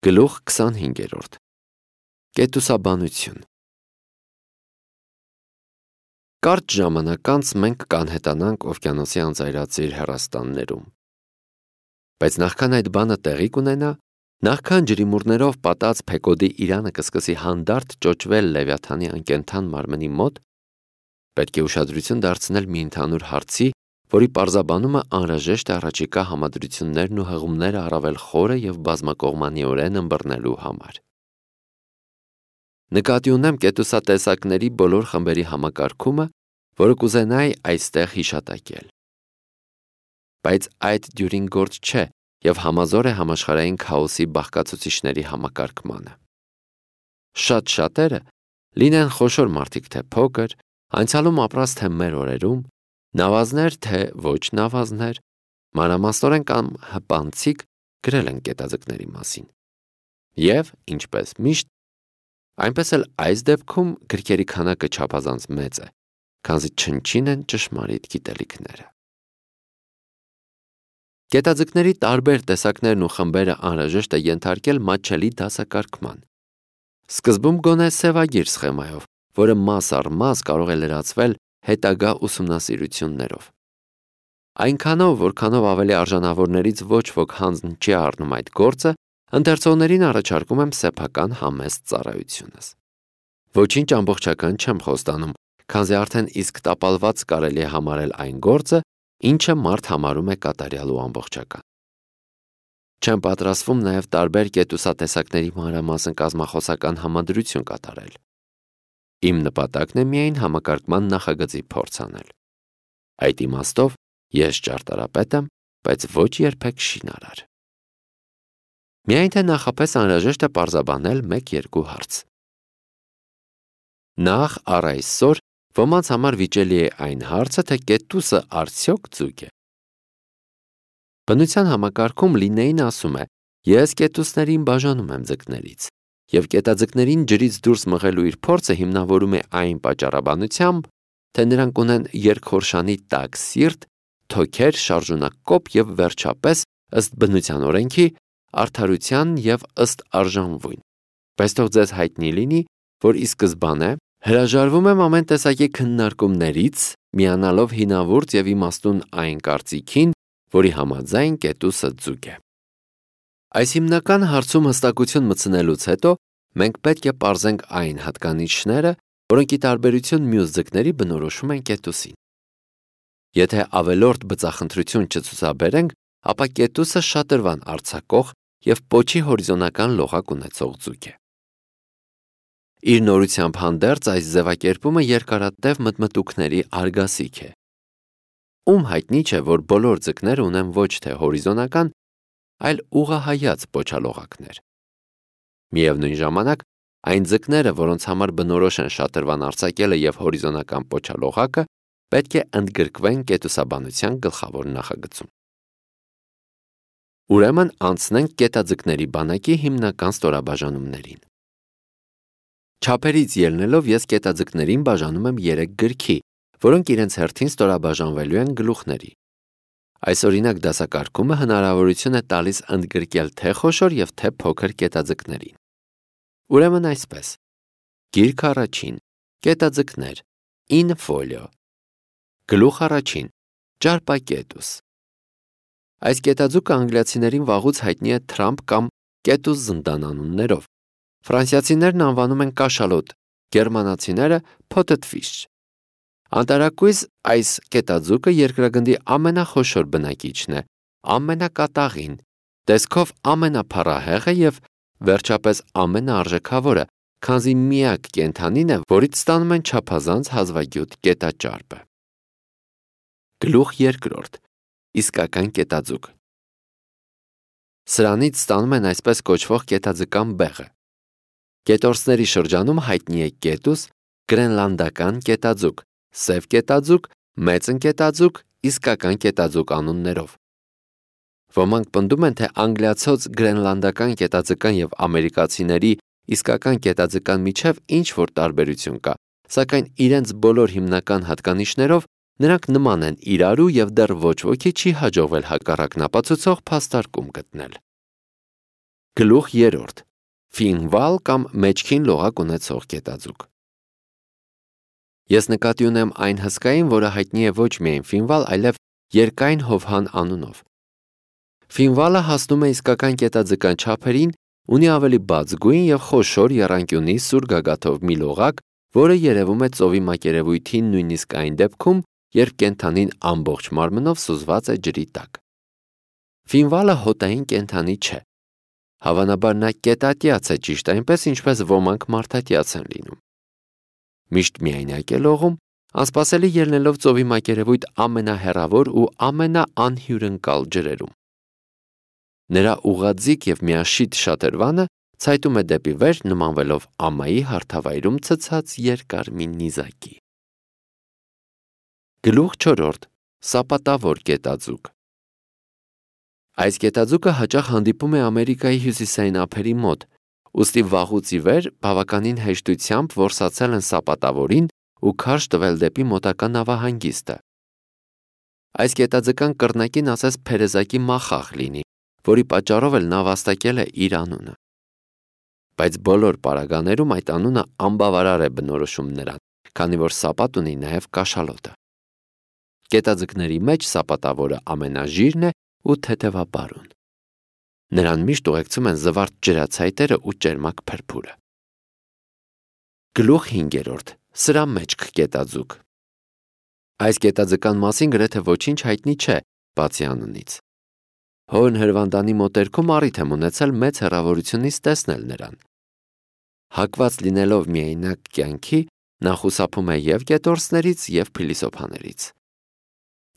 Գլուխ 25. Կետուսաբանություն։ Կարճ ժամանակ անց մենք կանհետանանք օվկիանոսի անծայրածիր հեռաստաններում։ Բայց նախքան այդ բանը տեղի կունենա, նախքան ջրիմուռներով պատած Փեկոդի իրանը կսկսի հանդարտ ճոճվել Լևիաթանի անկենդան մարմնի մոտ, պետք է ուշադրություն դարձնել մի ընդհանուր հարցի, որի պարզաբանումը անհրաժեշտ է առաջիկա համադրություններն ու հղումները առավել խորը և բազմակողմանիորեն ըմբռնելու համար։ Նկատի ունեմ կետուսատեսակների բոլոր խմբերի համակարգումը, որը կուզենայի այստեղ հիշատակել։ Բայց այդ դյուրին գործ չէ և համազոր է համաշխարհային քաոսի բաղկացուցիչների համակարգմանը։ Շատ շատերը, լինեն խոշոր մարդիկ թե փոքր, անցյալում ապրած թե մեր օրերում, նավազներ թե ոչ նավազներ, մանրամասնորեն կամ հպանցիկ գրել են կետաձկների մասին։ Եվ, ինչպես միշտ, այնպես էլ այս դեպքում գրքերի քանակը չափազանց մեծ է, քանզի չնչին են ճշմարիտ գիտելիքները։ Կետաձկների տարբեր տեսակներն ու խմբերը անհրաժեշտ է ենթարկել մատչելի դասակարգման։ Սկզբում գոնե սևագիր սխեմայով, որը մաս առ մաս կարող է լրացվել հետագա ուսումնասիրություններով։ Այնքանով, որքանով ավելի արժանավորներից ոչ ոք հանձն չի առնում այդ գործը, ընթերցողներին առաջարկում եմ սեփական համեստ ծառայությունս։ Ոչինչ ամբողջական չեմ խոստանում, քանզի արդեն իսկ տապալված կարելի է համարել այն գործը, ինչը մարդ համարում է կատարյալ ու ամբողջական։ Չեմ պատրաստվում նաև տարբեր կետուսատեսակների մանրամասն կազմախոսական համադրություն կատարել։ Իմ նպատակն է միայն համակարգման նախագծի փորձ անել։ Այդ իմաստով ես ճարտարապետ եմ, բայց ոչ երբեք շինարար։ Միայն թե նախապես անհրաժեշտ է պարզաբանել 1-2 հարց։ Նախ առ այսօր ոմանց համար վիճելի է այն հարցը, թե կետուսը արդյոք ձուկ է։ Բնության համակարգում Լիննեին ասում է. ես կետուսներին բաժանում եմ ձկներից, և կետաձկներին ջրից դուրս մղելու իր փորձը հիմնավորում է այն պատճառաբանությամբ, թե նրանք ունեն երկխորշանի տաք սիրտ, թոքեր, շարժունակ կոպ և վերջապես, ըստ բնության օրենքի, արդարության և ըստ արժանվույն։ Բայց թող ձեզ հայտնի լինի, որ ի սկզբանե հրաժարվում եմ ամեն տեսակի քննարկումներից, միանալով հինավուրց և իմաստուն այն կարծիքին, որի համաձայն կետուսը ձուկ է։ Այս հիմնական հարցում հստակություն մտցնելուց հետո մենք պետք է պարզենք այն հատկանիշները, որոնք ի տարբերություն մյուս ձկների բնորոշում են կետուսին։ Եթե ավելորդ բծախնդրություն չցուցաբերենք, ապա կետուսը շատրվան արձակող և պոչի հորիզոնական լողակ ունեցող ձուկ է։ Իր նորությամբ հանդերձ այս ձևակերպումը երկարատև մտմտուքների արգասիք է։ Ում հայտնի չէ, որ բոլոր ձկները ունեն ոչ թե հորիզոնական, այլ ուղղահայաց պոչալողակներ։ Միևնույն ժամանակ, այն ձկները, որոնց համար բնորոշ են շատրվան արձակելը և հորիզոնական պոչալողակը, պետք է ընդգրկվեն կետուսաբանության գլխավոր նախագծում։ Ուրեմն անցնենք կետաձկների բանակի հիմնական ստորաբաժանումներին։ Չափերից ելնելով ես կետաձկներին բաժանում եմ 3 գրքի, որոնք իրենց հերթին ստորաբաժանվելու են գլուխների։ Այս օրինակ դասակարգումը հնարավորություն է տալիս ընդգրկել թե խոշոր և թե փոքր կետաձկներին։ Ուրեմն այսպես. Գիրք առաջին, կետաձկներ, in folio։ Գլուխ առաջին, ճարպակետուս։ Այս կետաձուկը անգլիացիներին վաղուց հայտնի է Թրամփ կամ կետուս զնդան անուններով։ Ֆրանսիացիներն անվանում են կաշալոտ, գերմանացիները potted fish։ Անտարակույս այս կետաձուկը երկրագնդի ամենախոշոր բնակիչն է, ամենակատաղին, տեսքով ամենափառահեղը և վերջապես ամենաարժեքավորը, քանզի միակ կենդանին է, որից ստանում են չափազանց հազվագյուտ կետաճարպը։ Գլուխ երկրորդ, իսկական կետաձուկ։ Սրանից ստանում են այսպես կոչվող կետաձկան բեղը։ Կետորսների շրջանում հայտնի է կետուս, գրենլանդական կետաձուկ, սև կետաձուկ, մեծն կետաձուկ, իսկական կետաձուկ անուններով։ Ոմանք պնդում են, թե անգլիացոց գրենլանդական կետաձկան և ամերիկացիների իսկական կետաձկան միջև ինչ-որ տարբերություն կա, սակայն իրենց բոլոր հիմնական հատկանիշներով նրանք նման են իրարու և դեռ ոչ ոքի չի հաջողվել հակառակն ապացուցող փաստարկում գտնել։ Գլուխ 3. Ֆինվալ կամ մեջքին լողակ ունեցող կետաձուկ։ Ես նկատի ունեմ այն հսկային, որը հայտնի է ոչ միայն ֆինվալ, այլև երկայն հովհան անունով։ Ֆինվալը հասնում է իսկական կետաձկան չափերին, ունի ավելի բաց գույն և խոշոր եռանկյունի սուր գագաթով մի լողակ, որը երևում է ծովի մակերևույթին նույնիսկ այն դեպքում, երբ կենդանին ամբողջ մարմնով սուզված է ջրի տակ։ Ֆինվալը հոտային կենդանի չէ։ Հավանաբար նա կետատյաց է, ճիշտ այնպես, ինչպես ոմանք մարդատյաց են լինում։ Միշտ միայնակ է լողում, անսպասելի ելնելով ծովի մակերևույթ ամենահեռավոր ու ամենաանհյուրընկալ ջրերում։ Նրա ուղղաձիգ և միաշիտ շատրվանը ցայտում է դեպի վեր, նմանվելով ամայի հարթավայրում ցցած երկար մի նիզակի։ Գլուխ 4. Սապատավոր կետաձուկ։ Այս կետաձուկը հաճախ հանդիպում է Ամերիկայի հյուսիսային ափերի մոտ, ուստի վաղուց ի վեր բավականին հեշտությամբ որսացել են սապատավորին ու քարշ տվել դեպի մոտակա նավահանգիստը։ Այս կետաձկան կռնակին ասես փերեզակի մախախ լինի, որի պատճառով էլ նա վաստակել է իր անունը։ Բայց բոլոր պարագաներում այդ անունը անբավարար է բնորոշում նրան, քանի որ սապատ ունի նաև կաշալոտը։ Կետաձկների մեջ սապատավորը ամենաժիրն է ու թեթևապարուն։ Նրան միշտ ուղեկցում են զվարթ ջրացայտերը ու ճերմակ փրփուրը։ Գլուխ 5. Սրամեջք կետաձուկ։ Այս կետաձկան մասին գրեթե ոչինչ հայտնի չէ, բացի անունից։ Հորն հրվանդանի մոտերքում առիթ եմ ունեցել մեծ հեռավորությունից տեսնել նրան։ Հակված լինելով միայնակ կյանքի, նա խուսափում է և կետորսներից, և փիլիսոփաներից։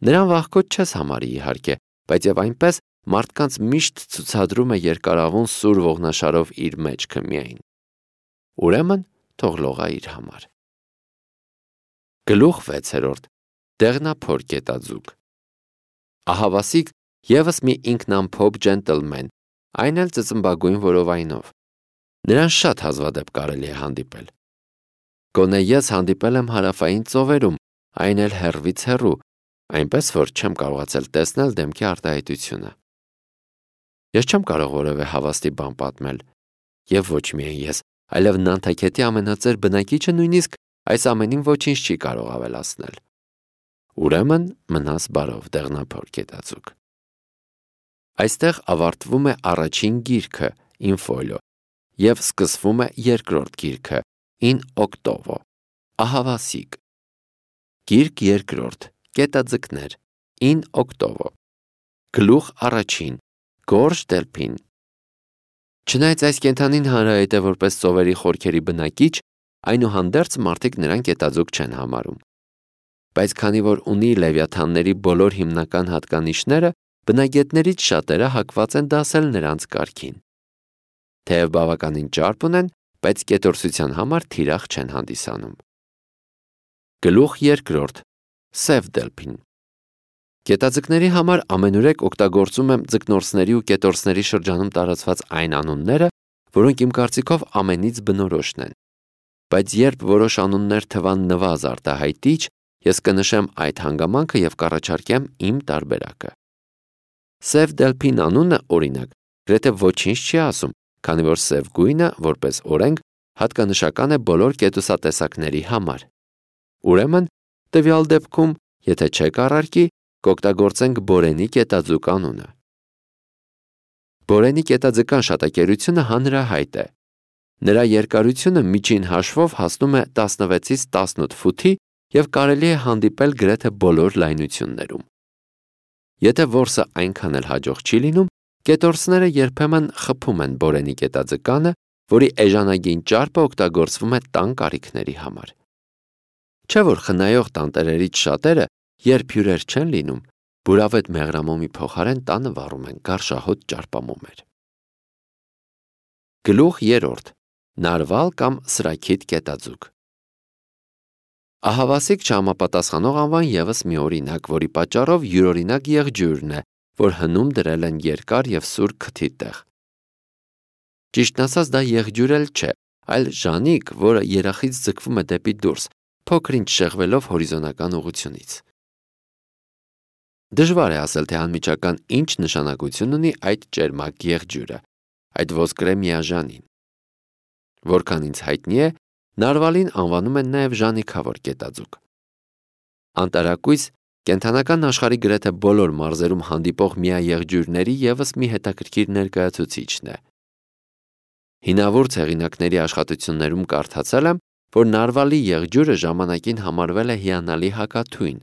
Նրան վախկոտ չես համարի, իհարկե, բայց և այնպես մարդկանց միշտ ցուցադրում է երկարավուն սուր ողնաշարով իր մեջքը միայն։ Ուրեմն թող լողա իր համար։ Գլուխ 6. Դեղնափոր կետաձուկ։ Ահավասիկ ևս մի ինքնամփոփ ջենտլմեն, այն էլ ծծմբագույն որովայնով։ Նրան շատ հազվադեպ կարելի է հանդիպել։ Գոնե ես հանդիպել եմ հարավային ծովերում, այն էլ հեռվից հեռու, այնպես որ չեմ կարողացել տեսնել դեմքի արտահայտությունը։ Ես չեմ կարող որևէ հավաստի բան պատմել, և ոչ միայն ես, այլև Նանթաքեթի ամենածեր բնակիչը նույնիսկ այս ամենին ոչինչ չի կարող ավելացնել։ Ուրեմն մնաս բարով, դեղնափոր կետաձուկ։ Այստեղ ավարտվում է առաջին գիրքը in folio և սկսվում է երկրորդ գիրքը in octavo, ահավասիկ։ Գիրք երկրորդ, կետաձկներ, in octavo։ Գլուխ 1. Գորժ դելփին։ Չնայած այս կենդանին հանրահայտ է որպես ծովերի խորքերի բնակիչ, այնուհանդերձ մարդիկ նրան կետաձուկ չեն համարում։ Բայց քանի որ ունի լևիաթանների բոլոր հիմնական հատկանիշները, բնագետներից շատերը հակված են դասել նրանց կարգին։ Թեև բավականին ճարպ ունեն, բայց կետորսության համար թիրախ չեն հանդիսանում։ Գլուխ 2. Սև դելփին։ Կետաձկների համար ամենուրեք օգտագործում եմ ձկնորսների ու կետորսների շրջանում տարածված այն անունները, որոնք իմ կարծիքով ամենից բնորոշն են։ Բայց երբ որոշ անուններ թվան նվազ արտահայտիչ, ես կնշեմ այդ հանգամանքը և կառաջարկեմ իմ տարբերակը։ Սև դելփին անունը, օրինակ, գրեթե ոչինչ չի ասում, քանի որ սև գույնը, որպես օրենք, հատկանշական է բոլոր կետուսատեսակների համար։ Ուրեմն, տվյալ դեպքում, եթե չեք առարկի, կօգտագործենք բորենի կետաձուկ անունը։ Բորենի կետաձկան շատակերությունը հանրահայտ է։ Նրա երկարությունը միջին հաշվով հասնում է 16-ից 18 ֆուտի և կարելի է հանդիպել գրեթե բոլոր լայնություններում։ Եթե որսը այնքան էլ հաջող չի լինում, կետորսները երբեմն խփում են բորենի կետաձկանը, որի էժանագին ճարպը օգտագործվում է տան կարիքների համար։ Չէ՞ որ խնայող տանտերերից շատերը, երբ հյուրեր չեն լինում, բուրավետ մեղրամոմի փոխարեն տանը վառում են գարշահոտ ճարպամոմեր։ Գլուխ 3. Նարվալ կամ սրաքիթ կետաձուկ։ Ահավասիկ չհամապատասխանող անվան ևս մի օրինակ, որի պատճառով յուրօրինակ եղջյուրն է, որ հնում դրել են երկար և սուր քթի տեղ։ Ճիշտն ասած, դա եղջյուր էլ չէ, այլ ժանիկ, որը երախից ձգվում է դեպի դուրս, փոքր-ինչ շեղվելով հորիզոնական ուղղությունից։ Դժվար է ասել, թե անմիջական ինչ նշանակություն ունի այդ ճերմակ եղջյուրը, այդ ոսկրե միաժանին։ Որքան ինձ հայտնի է, նարվալին անվանում են նաև ժանիքավոր կետաձուկ։ Անտարակույս կենդանական աշխարհի գրեթե բոլոր մարզերում հանդիպող միաեղջյուրների ևս մի հետաքրքիր ներկայացուցիչն է։ Հինավուրց հեղինակների աշխատություններում կարդացել եմ, որ նարվալի եղջյուրը ժամանակին համարվել է հիանալի հակաթույն։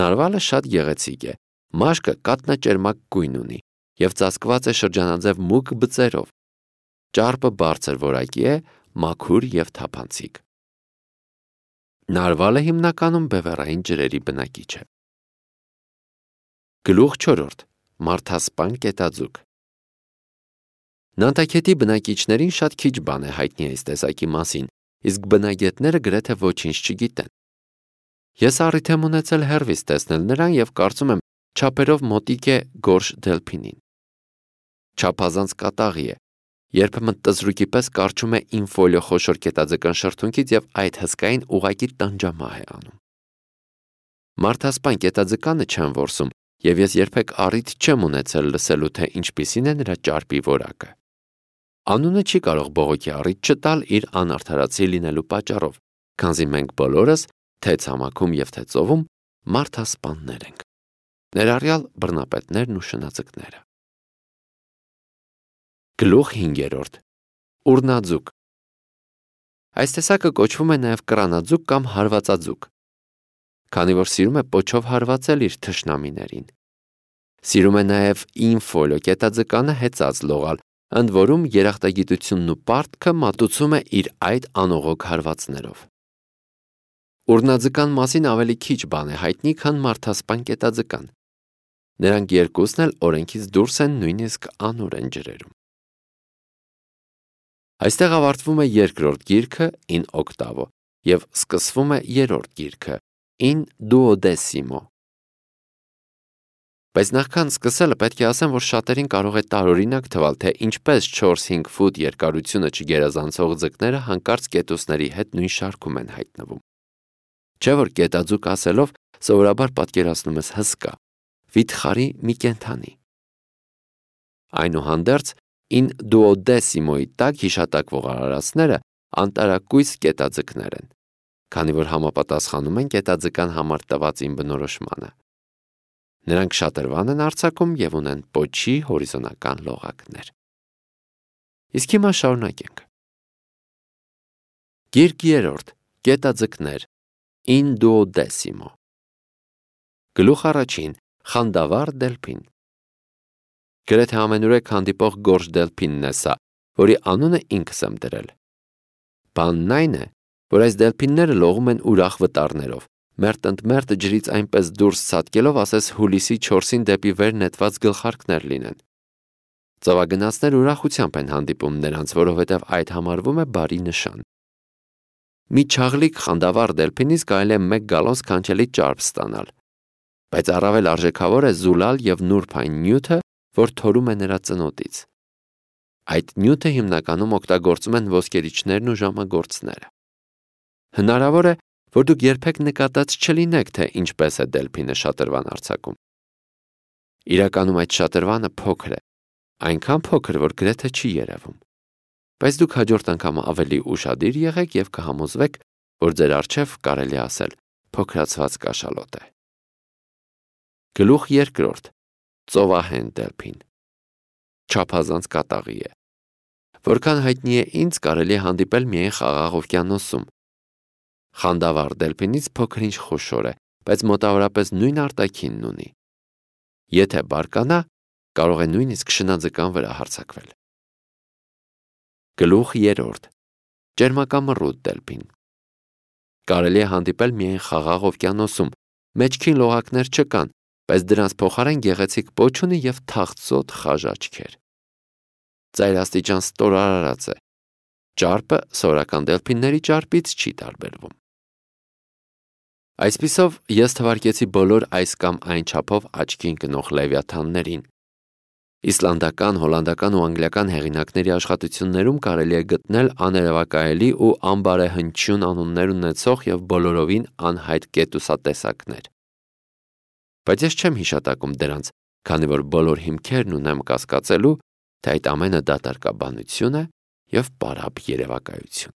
Նարվալը շատ գեղեցիկ է, մաշկը կաթնաճերմակ գույն ունի և ծածկված է շրջանաձև մուգ բծերով։ Ճարպը բարձր որակի է, մաքուր և թափանցիկ։ Նարվալը հիմնականում բևեռային ջրերի բնակիչ է։ Գլուխ 4. Մարդասպան կետաձուկ։ Նանտաքեթի բնակիչներին շատ քիչ բան է հայտնի այս տեսակի մասին, իսկ բնագետները գրեթե ոչինչ չգիտեն։ Ես առիթ եմ ունեցել հեռվից տեսնել նրան և կարծում եմ չափերով մոտիկ է գորշ դելփինին։ Չափազանց կատաղի է, երբեմն տզրուկի պես կարճում է ինֆոլիո խոշոր կետաձկան շրթունքից և այդ հսկային ուղղակի տանջամահ է անում։ Մարդասպան կետաձկանը չեմ որսում և ես երբեք առիթ չեմ ունեցել լսելու, թե ինչպիսին է նրա ճարպի որակը։ Անունը չի կարող բողոքի առիթ չտալ իր անարդարացի լինելու պատճառով, քանզի մենք բոլորս, թե ցամաքում և թե ծովում, մարդասպաններ ենք, ներառյալ բռնապետներն ու շնաձկները։ Գլուխ 5. Ուռնաձուկ։ Այս տեսակը կոչվում է նաև կռանաձուկ կամ հարվածաձուկ, քանի որ սիրում է պոչով հարվածել իր թշնամիներին։ Սիրում է նաև ինֆոլիո կետաձկանը հեծած լողալ, ընդ որում երախտագիտությունն ու պարտքը մատուցում է իր այդ անողոք հարվածներով։ Ուռնաձկան մասին ավելի քիչ բան է հայտնի, քան մարդասպան կետաձկան։ Նրանք երկուսն էլ օրենքից դուրս են, նույնիսկ անօրեն ջրերում։ Այստեղ ավարտվում է երկրորդ գիրքը in octavo և սկսվում է երրորդ գիրքը in duodecimo։ Բայց նախքան սկսելը պետք է ասեմ, որ շատերին կարող է տարօրինակ թվալ, թե ինչպես 4-5 ֆուտ երկարությունը չգերազանցող ձկները հանկարծ կետուսների հետ նույն շարքում են հայտնվում։ Չէ՞ որ կետաձուկ ասելով սովորաբար պատկերացնում ես հսկա, վիթխարի մի կենդանի։ Այնուհանդերձ in duodecimo-ի տակ հիշատակվող արարածները անտարակույս կետաձկներ են, քանի որ համապատասխանում են կետաձկան համար տված իմ բնորոշմանը։ Նրանք շատրվան են արձակում և ունեն պոչի հորիզոնական լողակներ։ Իսկ հիմա շարունակենք։ Գիրք 3. Կետաձկներ in duodecimo։ Գլուխ 1. Խանդավառ դելփին։ Գրեթե ամենուրեք հանդիպող գորշ դելփինն է սա, որի անունը ինքս եմ դրել։ Բանն այն է, որ այս դելփինները լողում են ուրախ վտարներով, մերթ ընդ մերթ ջրից այնպես դուրս ցատկելով, ասես հուլիսի 4-ին դեպի վեր նետված գլխարկներ լինեն։ Ծովագնացներ ուրախությամբ են հանդիպում նրանց, որովհետև այդ համարվում է բարի նշան։ Մի չաղլիկ խանդավառ դելփինից կարելի է 1 գալոն սքանչելի ճարպ ստանալ, բայց առավել արժեքավոր է զուլալ և նուրբ այն նյութը, որ թորում է նրա ծնոտից։ Այդ նյութը հիմնականում օգտագործում են ոսկերիչներն ու ժամագործները։ Հնարավոր է, որ դուք երբեք նկատած չլինեք, թե ինչպես է դելփինը շատրվան արձակում։ Իրականում այդ շատրվանը փոքր է, այնքան փոքր, որ գրեթե չի երևում։ Բայց դուք հաջորդ անգամ ավելի ուշադիր եղեք և կհամոզվեք, որ ձեր առջև կարելի ասել փոքրացված կաշալոտ է։ Գլուխ 2. Ծովահեն դելփին։ Չափազանց կատաղի է։ Որքան հայտնի է ինձ, կարելի է հանդիպել միայն Խաղաղ օվկիանոսում։ Խանդավառ դելփինից փոքր-ինչ խոշոր է, բայց մոտավորապես նույն արտաքինն ունի։ Եթե բարկանա, կարող է նույնիսկ շնաձկան վրա հարձակվել։ Գլուխ 3. Ճերմակամռութ դելփին։ Կարելի է հանդիպել միայն Խաղաղ օվկիանոսում, մեջքին լողակներ չկան, բայց դրանց փոխարեն գեղեցիկ պոչ ունի և թախծոտ խաժ աչքեր։ Ծայրաստիճան ստորարարած է։ Ճարպը սովորական դելփինների ճարպից չի տարբերվում։ Այսպիսով, ես թվարկեցի բոլոր այս կամ այն չափով աչքի ընկնող լևիաթաններին։ Իսլանդական, հոլանդական ու անգլիական հեղինակների աշխատություններում կարելի է գտնել աներևակայելի ու անբարեհնչյուն անուններ ունեցող և բոլորովին անհայտ կետուսատեսակներ։ Բայց ես չեմ հիշատակում դրանց, քանի որ բոլոր հիմքերն ունեմ կասկածելու, թե այդ ամենը դատարկաբանություն է և պարապ երևակայություն։